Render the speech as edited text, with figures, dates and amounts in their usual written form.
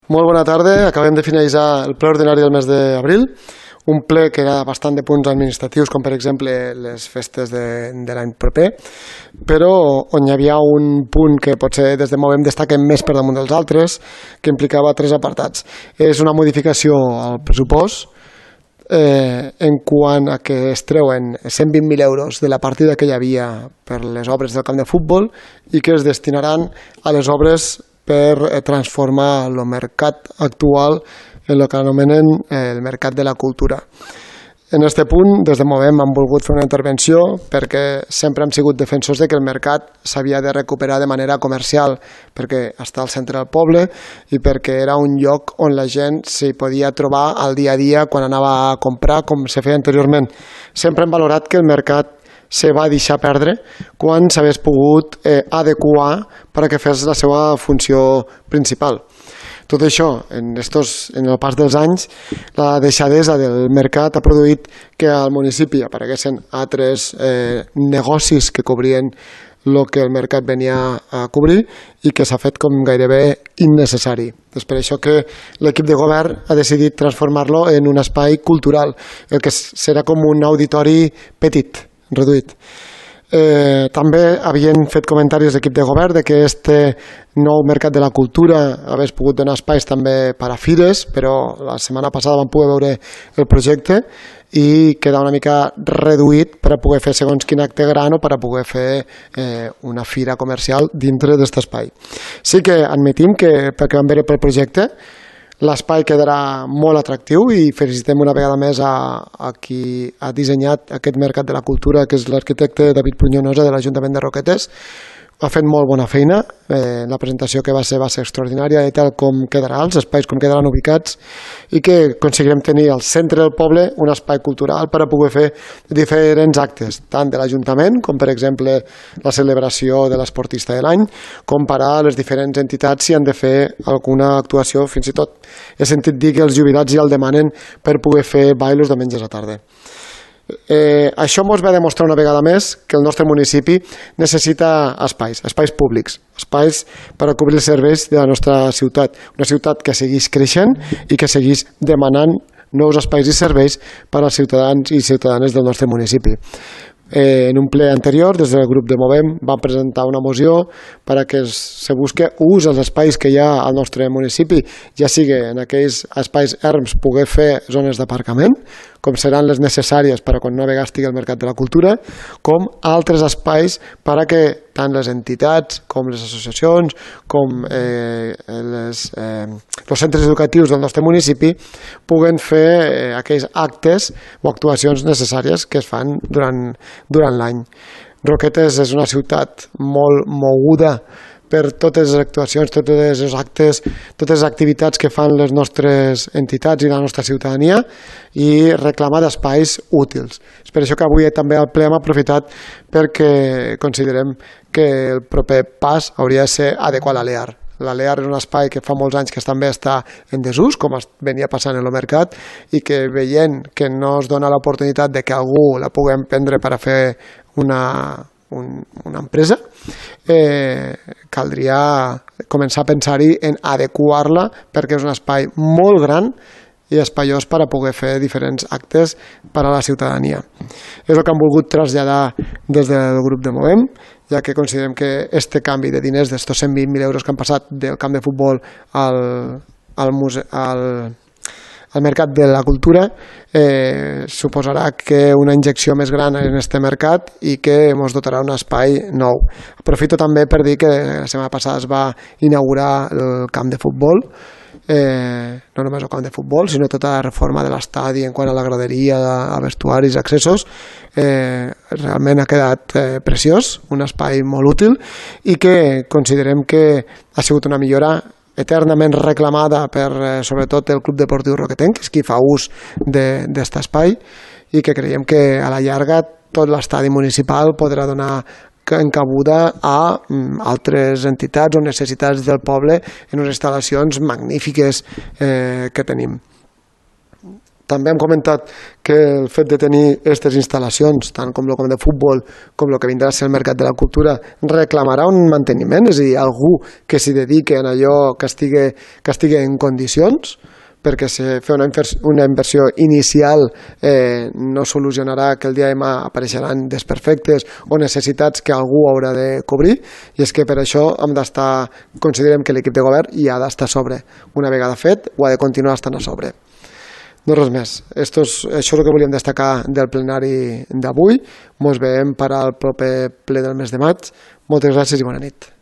Molt bona tarda. Acabem de finalitzar el ple ordinari del mes d'abril, un ple que era bastant de punts administratius, com per exemple les festes de l'any proper, però on hi havia un punt que potser des de Movem destaquem més per damunt dels altres, que implicava 3 apartats. És una modificació al pressupost en quant a que es treuen 120.000 euros de la partida que hi havia per les obres del camp de futbol i que es destinaran a les obres per transformar el mercat actual en el que anomenen el mercat de la cultura. En aquest punt, des de Movem hem volgut fer una intervenció perquè sempre hem sigut defensors de que el mercat s'havia de recuperar de manera comercial, perquè està al centre del poble i perquè era un lloc on la gent s'hi podia trobar al dia a dia quan anava a comprar, com se feia anteriorment. Sempre hem valorat que el mercat se va deixar perdre quan s'hagués pogut adequar perquè fes la seva funció principal. Tot això, en el pas dels anys, la deixadesa del mercat ha produït que al municipi apareguessin altres negocis que cobrien el que el mercat venia a cobrir i que s'ha fet com gairebé innecessari. És per això que l'equip de govern ha decidit transformar-lo en un espai cultural, el que serà com un auditori petit, reduït. També havien fet comentaris l'equip de govern de que este nou mercat de la cultura hagués pogut donar espais també per a fires, però la setmana passada vam poder veure el projecte i queda una mica reduït per a poder fer segons quin acte gran o per a poder fer una fira comercial dintre d'aquest espai. Sí que admetim que, perquè vam veure pel projecte, l'espai quedarà molt atractiu i felicitem una vegada més a qui ha dissenyat aquest mercat de la cultura, que és l'arquitecte David Pruñonosa de l'Ajuntament de Roquetes. Ha fet molt bona feina, la presentació que va ser extraordinària i tal com quedarà, els espais com quedaran ubicats i que aconseguirem tenir al centre del poble un espai cultural per a poder fer diferents actes, tant de l'Ajuntament com per exemple la celebració de l'esportista de l'any, com per a les diferents entitats si han de fer alguna actuació, fins i tot he sentit dir que els jubilats ja el demanen per poder fer bailos diumenges a tarda. Això ens va demostrar una vegada més que el nostre municipi necessita espais públics, espais per a cobrir els serveis de la nostra ciutat, una ciutat que segueix creixent i que segueix demanant nous espais i serveis per als ciutadans i ciutadanes del nostre municipi. En un ple anterior, des del grup de Movem, vam presentar una moció perquè se busqui ús als espais que hi ha al nostre municipi, ja sigui en aquells espais erms poder fer zones d'aparcament, com seran les necessàries per a quan una vegada estigui al mercat de la cultura, com altres espais per a que tant les entitats com les associacions, com els centres educatius del nostre municipi puguen fer aquells actes o actuacions necessàries que es fan durant l'any. Roquetes és una ciutat molt moguda per totes les actuacions, tots els actes, totes les activitats que fan les nostres entitats i la nostra ciutadania i reclama d'espais útils. És per això que avui també al ple hem aprofitat perquè considerem que el proper pas hauria de ser adequar l'Alear. L'Alear és un espai que fa molts anys que també està en desús, com venia passant en el mercat, i que veient que no es dona l'oportunitat de que algú la puguem prendre per a fer una empresa, caldria començar a pensar-hi en adequar-la perquè és un espai molt gran i espaiós per a poder fer diferents actes per a la ciutadania. És el que hem volgut traslladar des del grup de Movem, ja que considerem que aquest canvi de diners d'estos 120.000 euros que han passat del camp de futbol al mercat de la cultura suposarà que una injecció més gran en aquest mercat i que ens dotarà un espai nou. Aprofito també per dir que la setmana passada es va inaugurar el camp de futbol, no només el camp de futbol, sinó tota la reforma de l'estadi en quant a la graderia, a vestuaris, accessos. Realment ha quedat preciós, un espai molt útil i que considerem que ha sigut una millora eternament reclamada per sobretot el Club Deportiu Roquetenc, que és qui fa ús d'aquest espai i que creiem que a la llarga tot l'estadi municipal podrà donar encabuda a altres entitats o necessitats del poble en unes instal·lacions magnífiques que tenim. També hem comentat que el fet de tenir aquestes instal·lacions, tant com el camp de futbol com el que vindrà a ser el mercat de la cultura, reclamarà un manteniment, és a dir, algú que s'hi dediqui en allò que estigui en condicions, perquè fer una inversió inicial no solucionarà que el dia de demà apareixeran desperfectes o necessitats que algú haurà de cobrir, i és que per això considerem que l'equip de govern hi ha d'estar a sobre. Una vegada fet, ho ha de continuar estant a sobre. No res més. Això és el que volíem destacar del plenari d'avui. Ens veiem per al proper ple del mes de maig. Moltes gràcies i bona nit.